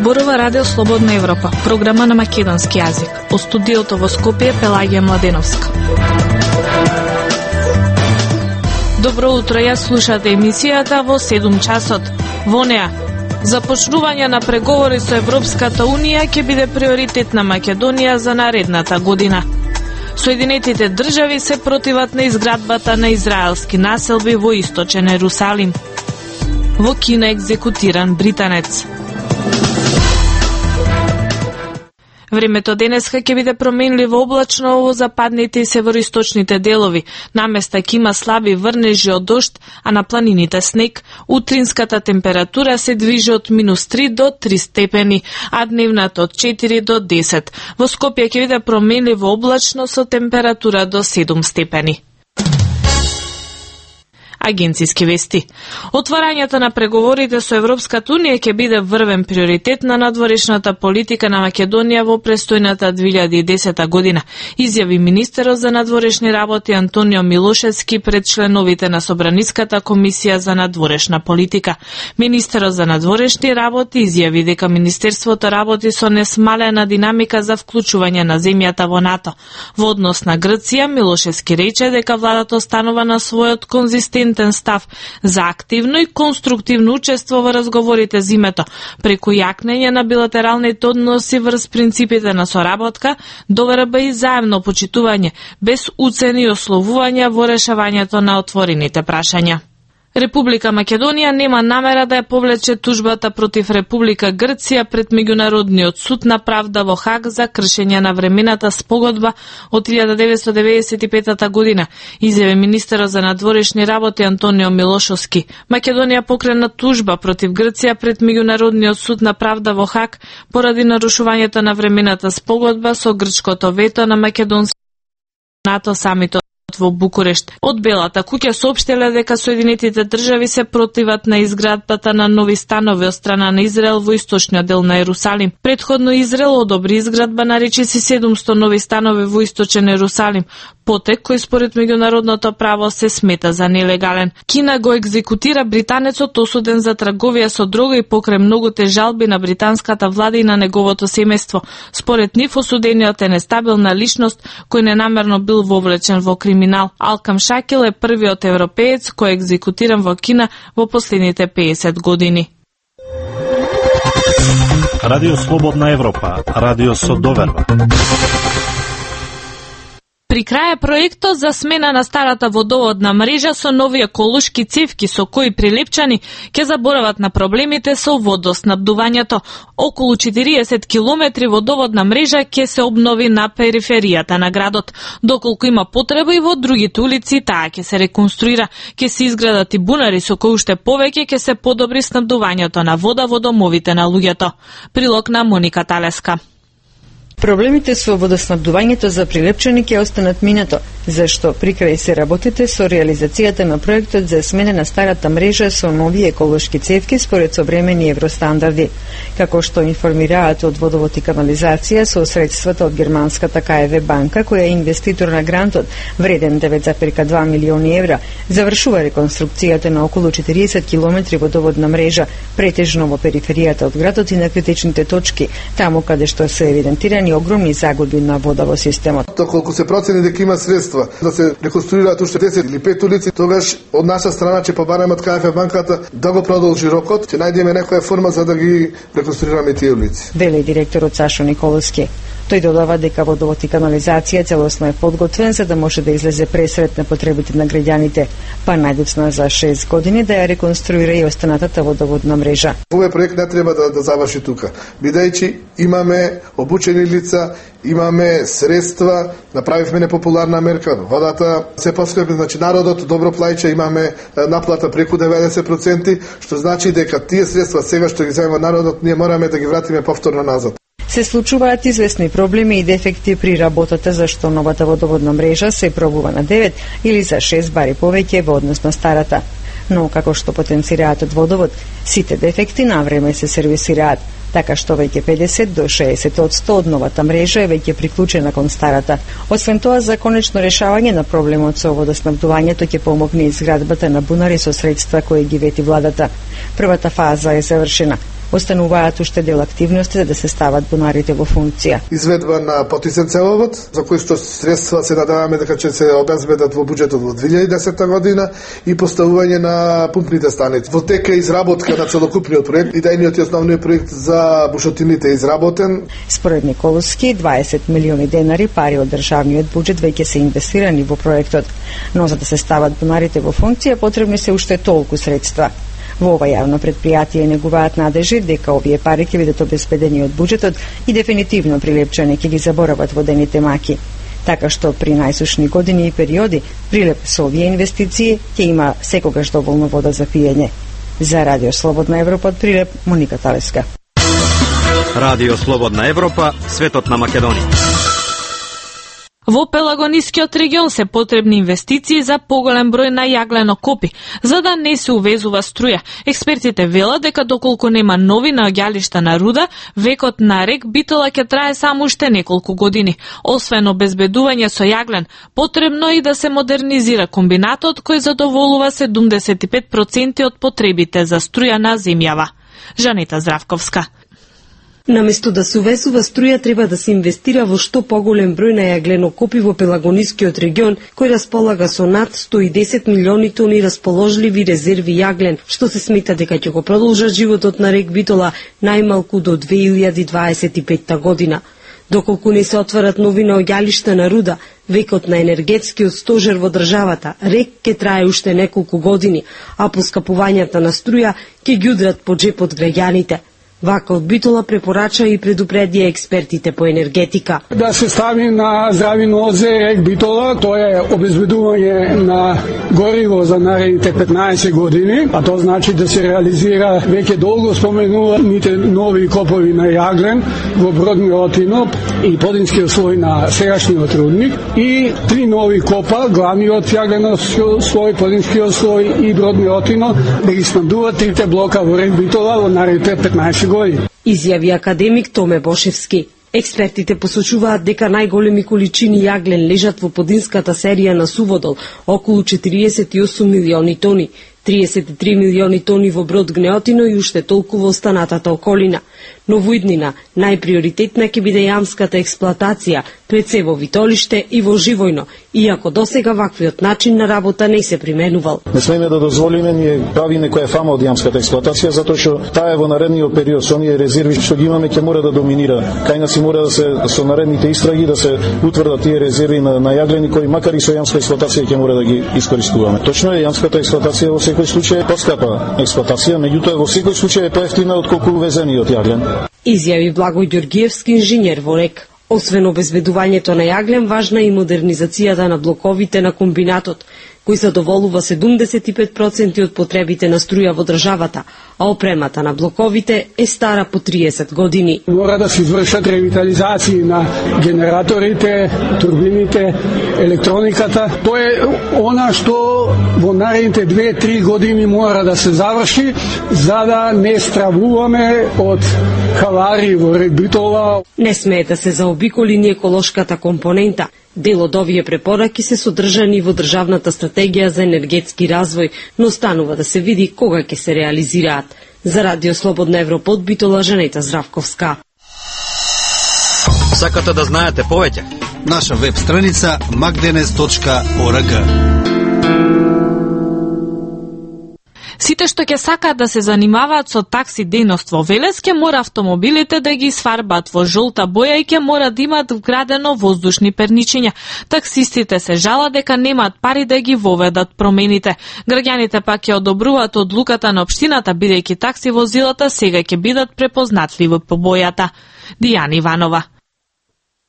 Зборува Радио Слободна Европа, програма на македонски јазик. Од студиото во Скопје Пелагија Младеновска. Добро утро, ја слушате емисијата во 7 часот. Во неа, започнување на преговори со Европската Унија ќе биде приоритет на Македонија за наредната година. Соединетите држави се противат на изградбата на израелски населби во источен Ерусалим. Во Кина екзекутиран британец. Времето денеска ќе биде променливо облачно во западните и североисточните делови. Наместа ќе има слаби врнежи од дожд, а на планините снег. Утринската температура се движи од -3 до 3 степени, а дневната од 4 до 10. Во Скопје ќе биде променливо облачно со температура до 7 степени. Агенциски вести. Отварањето на преговорите со Европската Унија ќе биде врвен приоритет на надворешната политика на Македонија во престојната 2010 година, изјави министерот за надворешни работи Антонио Милошевски пред членовите на Собраниската комисија за надворешна политика. Министерот за надворешни работи изјави дека министерството работи со несмалена динамика за вклучување на земјата во НАТО. Во однос на Грција, Милошевски рече дека владата останува на својот конзистентен став за активно и конструктивно учество во разговорите зимето, преку јакнење на билатералните односи врз принципите на соработка, доверба и заемно почитување, без уцени и ословувања во решавањето на отворените прашања. Република Македонија нема намера да ја повлече тужбата против Република Грција пред Меѓународниот суд на правда во Хаг за кршење на времената спогодба од 1995 година, изјави министерот за надворешни работи Антонио Милошевски. Македонија покрена тужба против Грција пред Меѓународниот суд на правда во Хаг поради нарушувањето на времената спогодба со грчкото вето на македонски НАТО самитот во Букурешт. Од Белата куќа соопштиле дека Соединетите држави се противат на изградбата на нови станови од страна на Израел во источниот дел на Ерусалим. Предходно Израел одобри изградба на речиси 700 нови станови во источен Ерусалим, потек кој според меѓународното право се смета за нелегален. Кина го екзекутира британецот осуден за трговија со дрога и покрај многуте жалби на британската влада и на неговото семејство. Според нив осудениот е нестабилна личност кој ненамерно бил вовлечен во криминал. Алкам Шакил е првиот европеец кој е екзекутиран во Кина во последните 50 години. Радио Слободна Европа, радио со доверба. При крај е проектот за смена на старата водоводна мрежа со нови еколошки цевки со кои прилепчани ќе заборават на проблемите со водоснабдувањето. Околу 40 километри водоводна мрежа ќе се обнови на периферијата на градот. Доколку има потреба и во другите улици, таа ќе се реконструира, ќе се изградат и бунари со кои уште повеќе ќе се подобри снабдувањето на вода во домовите на луѓето. Прилог на Моника Талеска. Проблемите со водоснабдувањето за прилепчани ќе останат минато, зашто прикрај се работите со реализацијата на проектот за смена на старата мрежа со нови еколошки цевки според современи евростандарди. Како што информираат од Водовод и канализација со средствата од германската КФВ банка, која е инвеститор на грантот, вреден 9,2 милиони евра, завршува реконструкцијата на околу 40 километри водоводна мрежа, претежно во периферијата од градот и на критичните точки, таму каде што се евидентирани огромни загуби на вода во системот. Доколку се процени дека има средства да се реконструираат уште 10 или 5 улици, тогаш од наша страна ќе побараме од КФ банката да го продолжи рокот, ќе најдеме некоја форма за да ги реконструираме тие улици. Вели директорот Сашо Николовски. Тој додава дека Водовод и канализација целосно е подготвен за да може да излезе пресред на потребите на граѓаните, па најдоцна за 6 години да ја реконструира и останатата водоводна мрежа. Овој проект не треба да заврши тука, бидејќи имаме обучени лица, имаме средства, направивме непопуларна мерка, водата се поскапи, значи народот добро плаќа, имаме наплата преку 90%, што значи дека тие средства сега што ги земува народот, ние мораме да ги вратиме повторно назад. Се случуваат известни проблеми и дефекти при работата, зашто новата водоводна мрежа се пробува на 9 или за 6 бари повеќе во однос на старата. Но, како што потенцираат од Водовод, сите дефекти на време се сервисираат, така што веќе 50 до 60% од новата мрежа е веќе приклучена кон старата. Освен тоа, за конечно решавање на проблемот со водоснабдувањето ќе помогне изградбата на бунари со средства кои ги вети владата. Првата фаза е завршена. Остануваат уште дел активности за да се стават бунарите во функција. Изведба на потисен цевовод, за кој што средства се надеваме дека ќе се обезбедат во буџетот во 2010 година и поставување на пумпните станици. Во тека изработка на целокупниот проект, идејниот и основниот проект за бушотините изработен. Според Николовски, 20 милиони денари пари од државниот буџет веќе се инвестирани во проектот, но за да се стават бунарите во функција потребни се уште толку средства. Во ова јавно предпријатие негуваат надежи дека овие пари ќе бидат обезбедени од буџетот и дефинитивно Прилепчани ќе ги заборават водените маки. Така што при најсушни години и периоди Прилеп со овие инвестиции ќе има секогаш доволно вода за пиење. За Радио Слободна Европа од Прилеп, Моника Талеска. Радио Слободна Европа, светот на Македонија. Во Пелагонискиот регион се потребни инвестиции за поголем број на јагленокопи, за да не се увезува струја. Експертите велат дека доколку нема нови наоѓалишта на руда, векот на рек Битола ќе трае само уште неколку години. Освен обезбедување со јаглен, потребно и да се модернизира комбинатот кој задоволува 75% од потребите за струја на земјава. Жанета Здравковска. Наместо да се увезува струја, треба да се инвестира во што поголем број на јагленокопи во Пелагонискиот регион, кој располага со над 110 милиони тони расположливи резерви јаглен, што се смета дека ќе го продолжат животот на рек Битола најмалку до 2025 година. Доколку не се отварат нови наоѓалишта на руда, векот на енергетскиот стожер во државата, рек ќе трае уште неколку години, а поскапувањата на струја ќе ги удрат по джепот граѓаните. Вака од Битола препорача и предупредија експертите по енергетика. Да се стави на здрави нозе рек Битола, тоа е обезбедување на гориво за наредните 15 години, а тоа значи да се реализира веќе долго споменуваните нови копови на јаглен во Брод Милотино и подинскиот слој на сегашниот рудник и 3 нови копа, главниот јагленовски слој, подинскиот слој и Брод Милотино, да ги снабдуваат трите блока во рек Битола во наредните 15 години. Изјави академик Томе Бошевски. Експертите посочуваат дека најголеми количини јаглен лежат во подинската серија на Суводол, околу 48 милиони тони, 33 милиони тони во Брод Гнеотино и уште толку во останатата околина. Но во иднина најприоритетна ќе биде јамската експлоатација, пред се во Витолиште и во Живојно, иако досега ваквиот начин на работа не се применувал. Не смееме да дозволиме ние прави некоја фама од јамската експлоатација, затоа што таа е во наредниот период со оние резерви што ги имаме ќе мора да доминира. Кај нас мора да се со наредните истраги да се утврдат тие резерви на јаглени кои макар и со јамска експлоатација ќе мора да ги искористуваме. Точно е, јамската експлоатација во секој случај е поскапа експлоатација, меѓутоа во секој случај е поевтина отколку увезениот јаглен. Изјави Благој Ѓоргиевски, инженер во рек. Освен обезбедувањето на јаглен, важна и модернизацијата на блоковите на комбинатот, кој задоволува 75% од потребите на струја во државата, а опремата на блоковите е стара по 30 години. Мора да се извршат ревитализации на генераторите, турбините, електрониката. Тоа е она што во наредните 2-3 години мора да се заврши, за да не стравуваме од халари во рек Битола. Не смее да се заобиколи ни еколошката компонента. Дел од овие препораки се содржани во државната стратегија за енергетски развој, но останува да се види кога ќе се реализираат. За Радио Слободна Европа од Битола, Жанета Здравковска. Сакате да знаете повеќе? Наша веб страница magdenes.org. Сите што ќе сакаат да се занимаваат со такси дејност во Велес, ќе мора автомобилите да ги сфарбат во жолта боја и ќе мора да имаат вградено воздушни перничиња. Таксистите се жалат дека немаат пари да ги воведат промените. Граѓаните пак ќе одобруваат одлуката на општината, бидејќи такси возилата сега ќе бидат препознатливи по бојата. Дијана Иванова.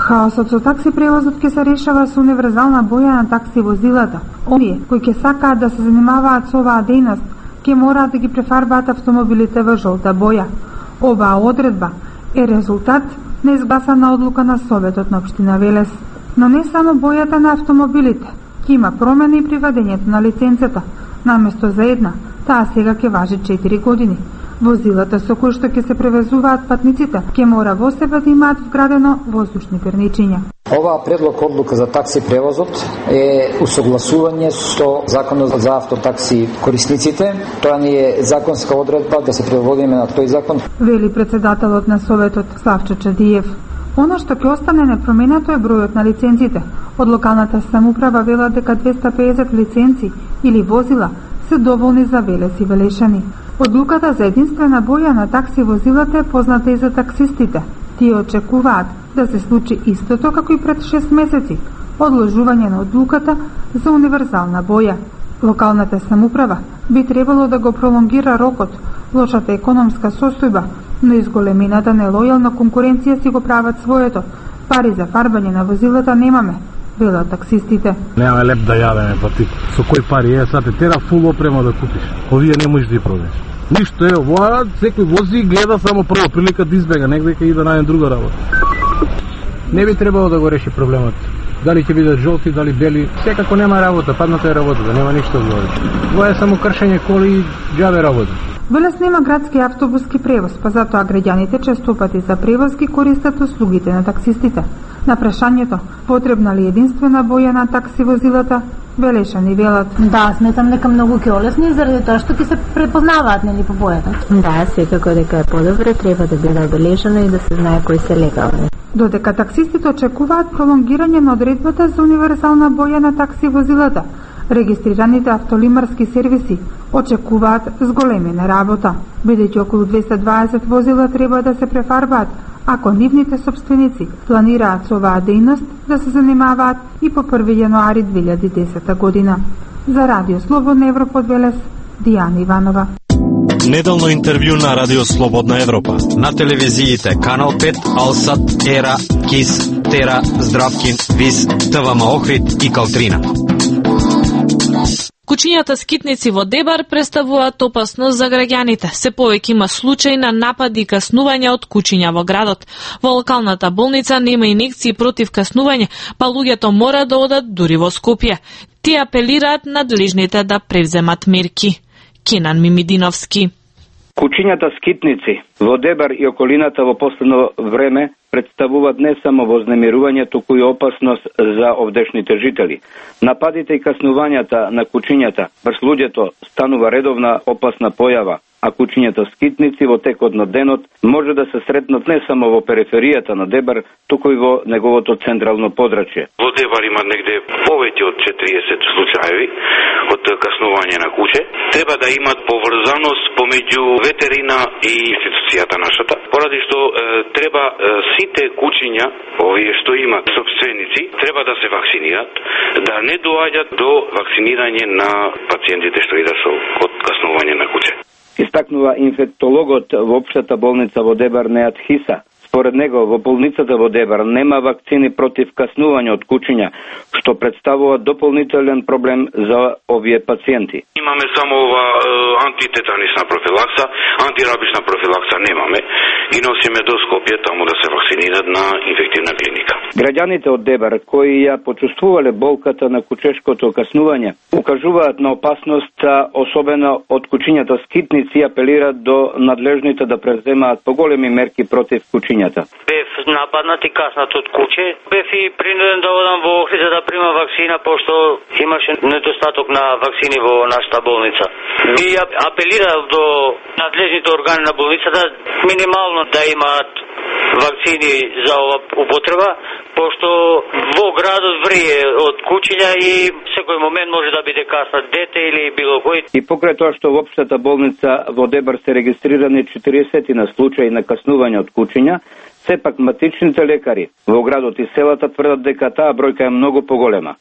Хаосот со такси превозот ќе се решава со универзална боја на такси возилата. Оние кои ќе сакаат да се занимаваат со оваа дејност ќе мораат да ги префарбаат автомобилите во жолта боја. Оваа одредба е резултат на изгласана одлука на Советот на општина Велес. Но не само бојата на автомобилите, ќе има промена и при вадењето на лиценцата. Наместо за една, таа сега ќе важи 4 години. Возилата со кои што ќе се превезуваат патниците ќе мора во себе да имаат вградено воздушни перничиња. Оваа предлог одлука за такси превозот е усогласување со Законот за автотакси корисниците. Тоа ни е законска одредба да се преводиме на тој закон. Вели председателот на Советот Славчо Чадиев. Она што ќе остане непроменето е бројот на лиценците. Од локалната самоуправа велат дека 250 лиценци или возила се доволни за Велес и Велешани. Одлуката за единствена боја на такси возилата е позната и за таксистите. Тие очекуваат да се случи истото како и пред 6 месеци, одложување на одлуката за универзална боја. Локалната самоуправа би требало да го пролонгира рокот, лошата економска состојба, но изголемината нелојална конкуренција си го прават своето. Пари за фарбање на возилата немаме, велат таксистите. Немаме леп да јадеме, па ти со кој пари е, сад тера фул опрема да купиш. Овие не можеш да ја продадеш. Ништо е, ова секој вози и гледа само прва прилика да избега негде и да најде друга работа. Не би требало да го реши проблемот. Дали ќе бидат жолти, дали бели, секако нема работа, падната е работа, да нема ништо да говориш. Ова е само кршење коли и џабе работа. Велес нема градски автобуски превоз, па затоа граѓаните често пати за превоз ги користат услугите на таксистите. На прашањето, потребна ли единствена боја на такси возилата, Велешани велат. Да, сметам дека многу ќе олесни заради тоа што ќе се препознаваат нели по бојата. Да, секако дека е подобро, треба да биде обележено и да се знае кои се легални. Додека таксистите очекуваат пролонгирање на одредбата за универзална боја на такси возилата, регистрираните автолимарски сервиси очекуваат зголемена работа, бидејќи околу 220 возила треба да се префарбаат, ако нивните собственици планираат со оваа дејност да се занимаваат и по 1 јануари 2010 година. За Радио Слободна Европа од Велес, Дијана Иванова. Неделно интервју на Радио Слободна Европа. На телевизиите Канал 5, Алсат, Ера, Кис, Тера, Здравкин, Вис, ТВМ Охрид и Калтрина. Кучињата скитници во Дебар представуваат опасност за граѓаните. Се повеќе има случаи на напади и каснување од кучиња во градот. Во локалната болница нема инекции против каснување, па луѓето мора да одат дури во Скопје. Тие апелираат надлежните да превземат мерки. Кенан Мимидиновски. Кучињата скитници во Дебар и околината во последно време представуваат не само вознемирување, туку и опасност за овдешните жители. Нападите и каснувањата на кучињата врз луѓето станува редовна опасна појава, а кучињата скитници во текот на денот може да се сретнат не само во периферијата на Дебар, туку и во неговото централно подрачје. Во Дебар има негде повеќе од 40 случаи од каснување на куче. Треба да имат поврзаност помеѓу ветерина и институцијата нашата, поради што треба сите кучиња, овие што имат собственици, треба да се вакцинираат, да не доаѓат до вакцинирање на пациентите што идат со од каснување на куче. Истакнува инфектологот во општата болница во Дебар Неат Хиса. Според него, во болницата во Дебар нема вакцини против каснување од кучиња, што представува дополнителен проблем за овие пациенти. Имаме само ова антитетанисна профилакса, антирабична профилакса немаме и носиме до Скопје таму да се вакцинираат на инфективна клиника. Граѓаните од Дебар кои ја почувствувале болката на кучешкото каснување, укажуваат на опасноста, особено од кучињата скитници, и апелираат до надлежните да преземаат поголеми мерки против кучињата. Бев нападнат и каснат од куче. Бев и принуден да одам во Охрид за да примам вакцина, пошто имаше недостаток на вакцини во нашата болница. И апелирав до надлежните органи на болницата минимално да имаат вакцини за ова употреба, пошто во градот врие од кучиња и секој момент може да биде каснат дете или било кој. И покрај тоа што во општата болница во Дебар се регистрирани 40 на случаи на каснување од кучиња, сепак матичните лекари во градот и селата тврдат дека таа бројка е многу поголема.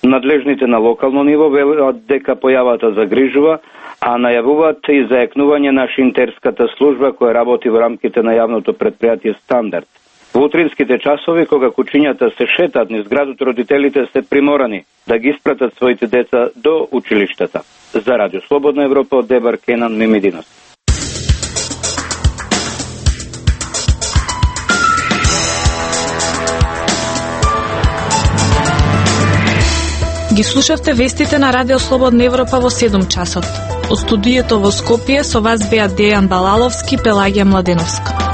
Надлежните на локално ниво велат дека појавата загрижува, а најавуваат и заекнување на шинтерската служба која работи во рамките на јавното предпријатие Стандард. Во утринските часови, кога кучињата се шетат низ градот, родителите се приморани да ги испратат своите деца до училиштата. За Радио Слободна Европа од Дебар, Кенан Мимидинов. Ги слушавте вестите на Радио Слободна Европа во 7 часот. Од студиото во Скопје со вас беа Дејан Балаловски, Пелагија Младеновска.